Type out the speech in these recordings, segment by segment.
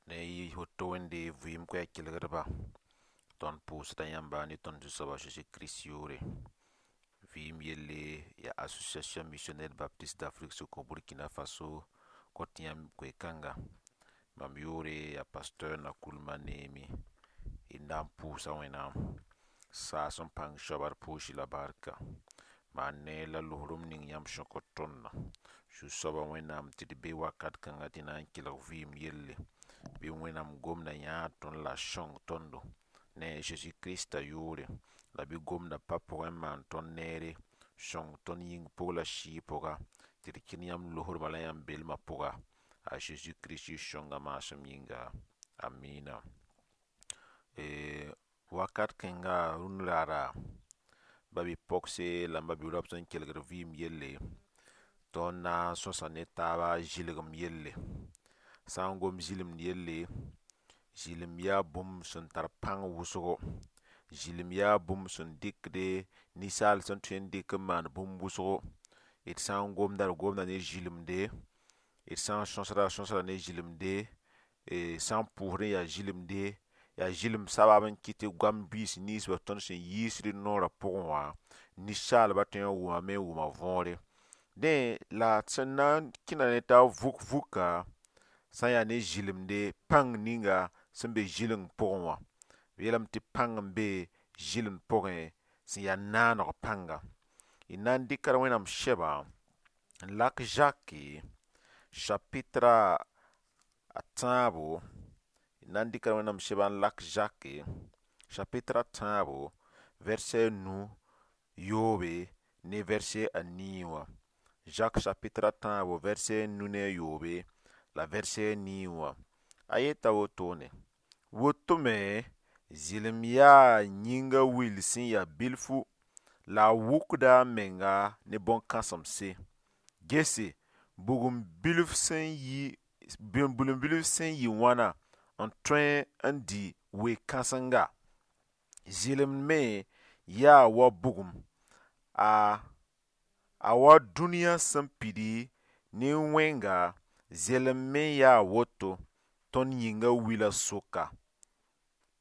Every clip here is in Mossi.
Ne y woto wẽnde vɩɩm koɛɛg kelgdba, tõnd pʋʋsda yãmba ne tõnd Zu-soaba Zeezi Kirist yʋʋre. Vɩɩm yelle yaa Association Missionnaire Baptiste d'Afrique sẽn kõ Burkina Faso kõt yãmb koe-kãnga. Mam yʋʋre yaa Pasteur Nakoulma Neemi. D na n pʋʋsa Wẽnnaam saas n pãng soaba d pʋʋs-y la barka. Maan neer la losrem ning yãmb sẽn kõt tõndã. Zu-soaba Wẽnnaam tɩ d be wakat kãngã tɩ na n kelg vɩɩm yelle. Bɩ Wẽnnaam gomda yãag tõnd la a sõng tõndo ne a Zeezi Krista yʋʋre. La bɩ gomda pa pʋgẽ n maan tõnd neere, sõng tõnd yĩng pʋg la sɩɩg pʋga, tɩ d kẽn yãmb losrmã la yãmb belmã pʋga. A Zeezi Kirist sõnga maasem yĩnga. Amina. Wakat kẽnga rũnd raara, ba-bi-pogse la m ba-bi-raop sẽn kelgd vɩɩm yelle, tõnd na n sõsa ne taaba zɩlgem yelle. Sã n gom zɩlem yelle, zɩlem yaa bũmb sẽn tar pãng wʋsgo. Zɩlem yaa bũmb sẽn dɩkde ninsaal sẽn tõe n dɩk n maan bũmb wʋsgo. D sã n gomda, d gomda ne zɩlemde, d sã n sõsda, d sõsda ne zɩlemde, sã n pʋʋsd n yaa zɩlemde, yaa zɩlem sabab n kɩt tɩ goam biis ninsbã tõnd sẽn yiisd d noorã pʋgẽ wã, ninsaalbã tõe n wʋmame n wʋm a võore. Dẽ la sẽn na n kẽna ne taab vuk vuka, sã n yaa ne zɩlemde pãng ninga sẽn be zɩleng pʋgẽ wã. B yeelame tɩ pãng n be zɩlemd pʋgẽ sẽn yaa naaneg pãnga. D na n dɩka Wẽnnaam sɛba n lak Zake chapitre a tãabo, d na n dɩka Wẽnnaam sɛba n lak Zake chapitre a tãabo verset nu yoobe ne verset a nii wã. Jacques chapitre a tãabo verset nu ne a yoobe la verset nii wã. A yeta wotone: woto me zɩlem yaa yĩnga will sẽn yaa bilfu la a wukda a menga ne bõn-kãsemse. Gese, bugum bilf sẽn yi bugum bilf sẽn yɩ wãna n tõe n dɩ we-kãsenga. Zɩlemd me yaa wa bugum, a wa dũniyã sẽn pidi ne wẽnga, zelem me yaa woto tõnd yĩnga wila sʋka.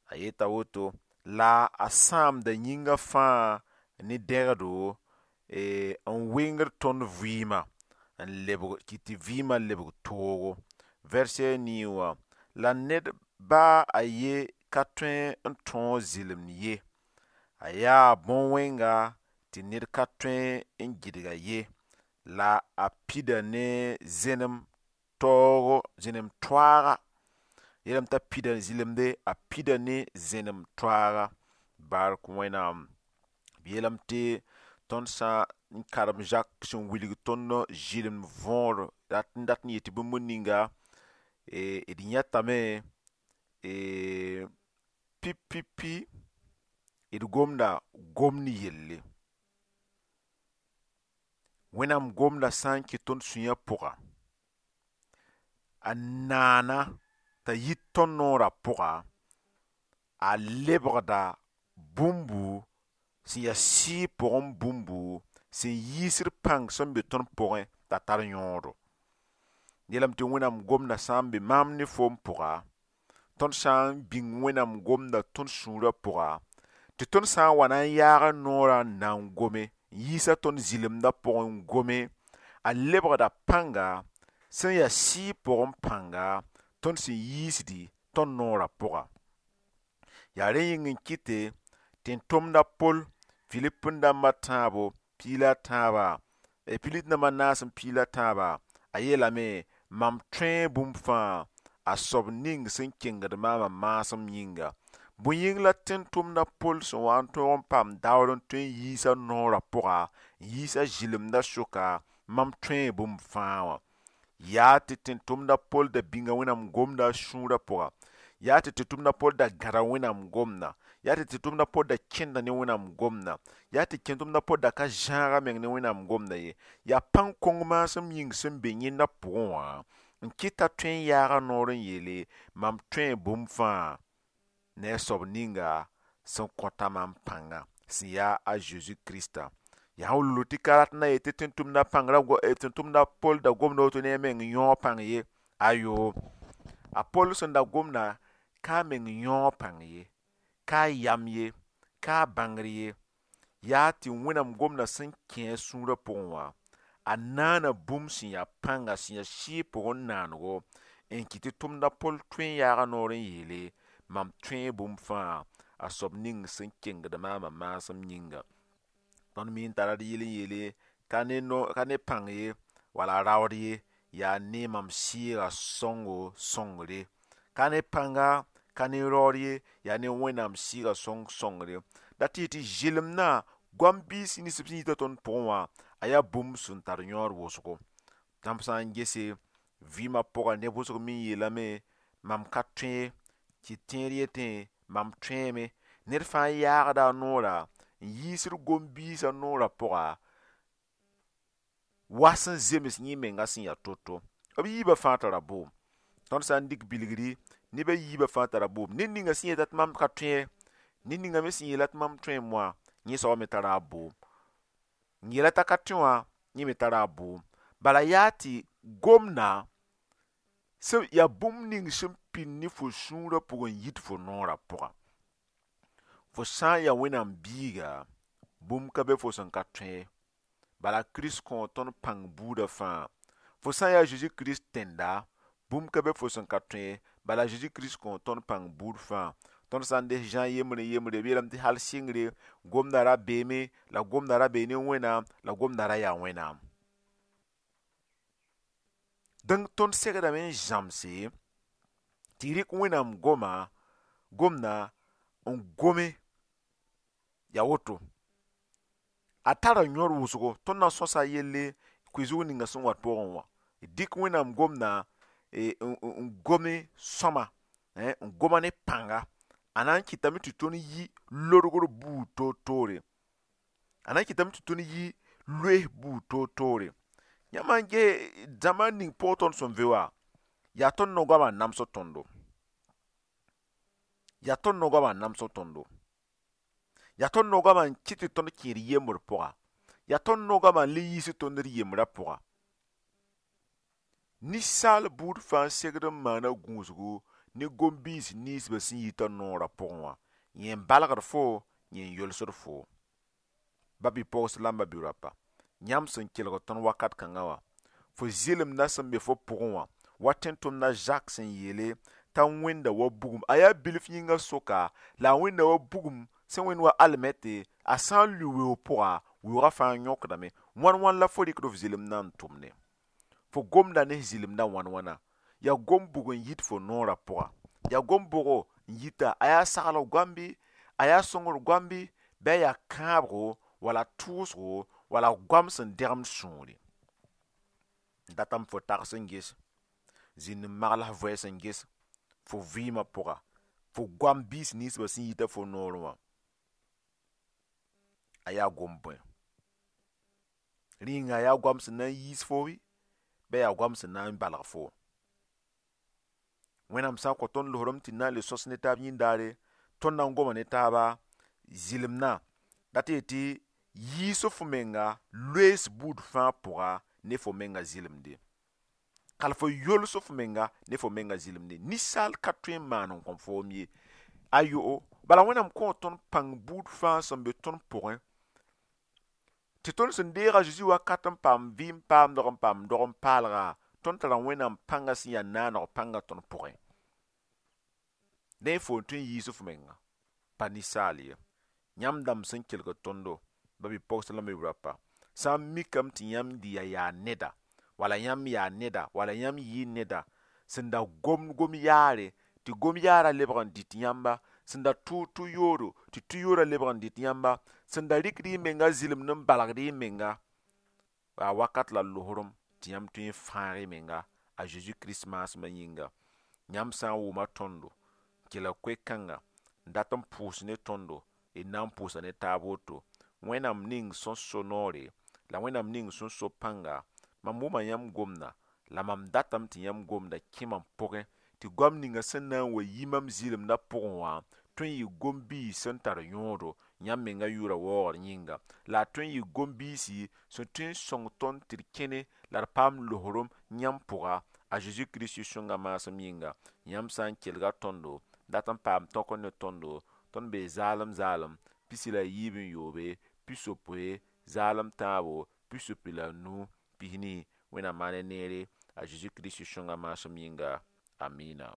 A yeta woto la a sãamda yĩnga fãa ne dẽgdo n wengd tõnd vɩɩmã n lebg kɩt tɩ vɩɩmã lebg toogo. Verset nii wã: la ned baa a ye ka tõe n tõog zɩlemd ye. A yaa bõn-wẽnga tɩ ned ka tõe n gɩdga ye, la a pida ne zẽnem taoogo, zẽnem toaaga. Yeelame t'a pida zɩlemde, a pida ne zẽnem toaaga. Bark Wẽnnaam. B yeelame tɩ tõnd sã n karem Zak sẽn wilg tõnd zɩlemd võor dat n dat n yet bũmb ninga, d yãtame pipi d gomda gomd yelle. Wẽnnaam gomda sã n kẽ tõnd sũyã pʋga, a naana t'a yit tõnd noorã pʋga, a lebgda bũmbu sẽn yaa sɩɩg pʋgẽ bũmbu sẽn yiisd pãng sẽn be tõnd pʋgẽ t'a tar yõodo. Yeelame tɩ Wẽnnaam gomda sã n be maam ne foom pʋga, tõnd sã n bĩng Wẽnnaam gomda tõnd sũurã pʋga, tɩ tõnd sã n wa na n yaag noorã n na n gome, n yiisa tõnd zɩlemdã pʋgẽ n gome, a lebgda pãnga sẽn yaa sɩɩg pʋgẽ pãnga tõnd sẽn yiisdi tõnd noorã pʋga. Yaa rẽ yĩng n kɩte tẽn-tʋmda Pol Filip dãmba tãabo piig la a tãaba, Filip dãmba naas n piig la tãaba, a yeelame mam tõe bũmb fãa a soab ning sẽn kengd maamã maasem yĩnga. Bõe yĩng la tẽn-tʋmda Pol sẽn wa n tõog n paam daoor n tõe n yiisa noorã pʋga, n yiisa zɩlemdã sʋka, mam tõe bũmb fãa wã. Yaa tɩ tẽn-tʋmda Pol da bĩnga Wẽnnaam gomda a sũurã pʋga, yaa tɩ tẽn-tʋmda Pol da gãda Wẽnnaam gomda, yaa tɩ tẽn-tʋmda Pol da kẽnda ne Wẽnnaam gomda, yaa tɩ tẽn-tʋmda Pol da ka zãag a meng ne Wẽnnaam gomda ye. Yaa pãng kõng maasem yĩng sẽn be yẽnda pʋgẽ wã n kɩt t'a tõe n yaag a noor n yeele mam tõe bũmb fãa ne a soab ninga sẽn kõta maam pãnga sẽn yaa a Zeezi Krista. Yaa n wilg tɩ ka rat n na yet tɩ tẽn-tʋmda pãngrã tẽn-tʋmda Pol da gomda woto ne a meng yõog pãng ye. Ayo. A Pol sẽn da gomda ka a meng yãoog pãng ye, ka a yam ye, ka a bãngr ye, yaa tɩ Wẽnnaam gomda sẽn kẽ a sũurã pʋgẽ wã, a naana bũmb sẽn yaa pãnga, sẽn yaa sɩɩg pʋgẽ nanego, n kɩt tɩ tʋmd a Pol tõe n yaaga noor n yeele, mam tõe bũmb fãa, a soab ning sẽn kengd maamã maasem yĩnga. Tõnd mi n tara d yɩl n yeele, ka ne no, ka ne pãng ye, wala raood ye, yaa ne mam sɩɩga sõngo sõngre. Ka ne pãnga, ka ne raood ye, yaa ne Wẽnnaam sɩɩga sõng sõngre. Da tɩ tɩ zɩlemdã goam biis nins b sẽn yita tõnd pʋgẽ wã, a yaa bũmb sẽn tar yõod wʋsgo. Yãmb sã n gese vɩɩmã pʋga neb wʋsg me yeelame, mam ka tõe tɩ tẽed yetẽ mam tõeeme. Ned fãa yaagda a noora n yiisd gom-biisã noorã pʋga, wa sẽn zems yẽ menga sẽn yaa to-to. B yiibã fãa tara boom. Tõnd sã n dɩk bilgri, nebã yiibã fãa tara boom. Ned ninga sẽn yeta tɩ mam ka tõe, ned ninga me sẽn yeela tɩ mam tõeem wã, yẽ soaba me tara a boom. N yeela t'a ka tõe wã, yẽ me tara a boom. Bala yaa tɩ gomda sẽn yaa bũmb ning sẽn pĩnd ne fo sũurã pʋgẽ n yit fo noorã pʋga. Fo sã n yaa Wẽnnaam biiga, bũmb ka be fo sẽn ka tõe ye. Bala Kirist kõo tõnd pãng buudã fãa. Fo sã n yaa Zeezi Kirist tẽnda, bũmb ka be fo sẽn ka tõe ye. Bala Zeezi Kirist kõo tõnd pãng buud fãa. Tõnd sã n des Zã yembre n yembre, b yeelame tɩ hal sɩngre, gomda ra beeme, la gomda ra bee ne Wẽnnaam, la gomda ra yaa Wẽnnaam. Donc tõnd segdame n zãmse tɩ rɩk Wẽnnaam goma, gomda n gome yaa woto. A tara yõod wʋsgo, tõnd na n sõsa a yelle koe-zug ninga sẽn wat pʋgẽ wã. Dɩk Wẽnnaam gomda n gome sõma, n goma ne pãnga. A na n kɩtame tɩ tõnd yi lorgr buud toor-toore. A na n kɩtame tɩ tõnd yi loees buud toor-toore. Yãmb n ges dãmba ning pʋgẽ tõnd sẽn ve wã, yaa tõnd no-goamã n namsd tõndo. Yaa tõnd no-goamã n namsd tõndo. Yaa tõnd no-goamã n kɩt tɩ tõnd kẽed yembr pʋga. Yaa tõnd no-goamã n le yiisd tõnd d yembrã pʋga. Ninsaal buud fãa segd n maana gũusgu ne gom-biis ninsbã sẽn yita noorã pʋgẽ wã. Yẽ n balgd fo, yẽ n yolsd fo. Ba bi-pogs la m ba bi-rapa, yãmb sẽn kelg tõnd wakat kãngã wã, fo zɩlemdã sẽn be fo pʋgẽ wã, wa tẽn-tʋmdã Zak sẽn yeele t'a wẽnda wa bugum. A yaa bilf yĩngã soka, la a wẽnda wa bugum sẽn wẽnd wa almɛte, a sã n lʋɩ weoog pʋga, weoogã fãa yõkdame. Wãn wãn la fo rɩkd f zɩlemdã n tʋmne. Fo gomda ne zɩlemdã wãn wãna. Yaa gom-bug n yit fo noorã pʋga. Yaa gom-bʋgo n yita, a yaa saglg goam bɩ, a yaa sõngr goam bɩ, bɩ a yaa kãabgo, wala tʋʋsgo, wala goam sẽn dẽgemd sũuri. N datame fo tags n ges, zĩnd n magl f vɩɛɛs n ges, fo vɩɩmã pʋga, fo goam biis ninsbã sẽn yita fo noorẽ wã. A yaa gom bõe? Rĩnga yaa goam sẽn na n yiis fo bɩ, bɩ yaa goam sẽn na n balg fo. Wẽnnaam sã n kõ tõnd losrem tɩ na n le sõs ne taab yĩndaare, tõnd na n goma ne taaba zɩlemdã dat tɩ yetɩ yiis fo menga loees buud fãa pʋga ne fo menga zɩlemde. Kal fo yols fo menga ne fo menga zɩlemde. Ninsaal ka tõe n maan n kõm foom ye. Ayo, bala Wẽnnaam kõo tõnd pãng buud fãa sẽn be tõnd pʋgẽ. Tɩ tõnd sẽn deega Zeezi wakat n paam vɩɩm paamdg n paam dog n paalga, tõnd tara Wẽnnaam pãngã sẽn yaa naaneg pãngã tõnd pʋgẽ. Dẽ fo n tõe n yiis f menga, pa ninsaal ye. Yãmb dãmb sẽn kelgd tõndo, ba bi-pogs la m bi-rapa, sã n mikame tɩ yãmb yaa neda, wala yãmb yaa neda, wala yãmb yɩ neda, sẽn da gom gom yaare, tɩ gom yaarã lebg n dɩt yãmba, sẽn da tʋ tʋ-yoodo, tɩ tʋ-yoorã lebg n dɩt yãmba, sẽn da rɩkd y menga zɩlemd n balgd y menga, a wakat la losrem tɩ yãmb tõe n fãag y menga a Zeezi Kirist maasmã yĩnga. Yãmb sã n wʋma tõndo, n kelg koe-kãnga, n dat n pʋʋs ne tõndo, d na n pʋʋsa ne taab woto. Wẽnnaam ning sẽn so noore, la Wẽnnaam ning sẽn so pãnga, mam wʋma yãmb gomda, la mam datame tɩ yãmb gomda kẽ mam pʋgẽ, tɩ goam ninga sẽn na n wa yi mam zɩlemdã pʋgẽ wã, tõe n yɩ gom-biis sẽn tar yõodo, yãmb menga yʋʋra waoogr yĩnga. La a tõe n yɩ gom-biisi sẽn tõe n sõng tõnd tɩ d kẽne la d paam losrem yãmb pʋga, A Zeezi Kirist sõnga maasem yĩnga, yãmb sã n kelga tõndo, dat n paam tõkr ne tõndo, tõnd bee zaalem zaalem 17, 60, zaalem tãabo, 65, 4. Wẽnnaam maan ne neere, a Zeezi Kirist sõnga maasem yĩnga. Amina.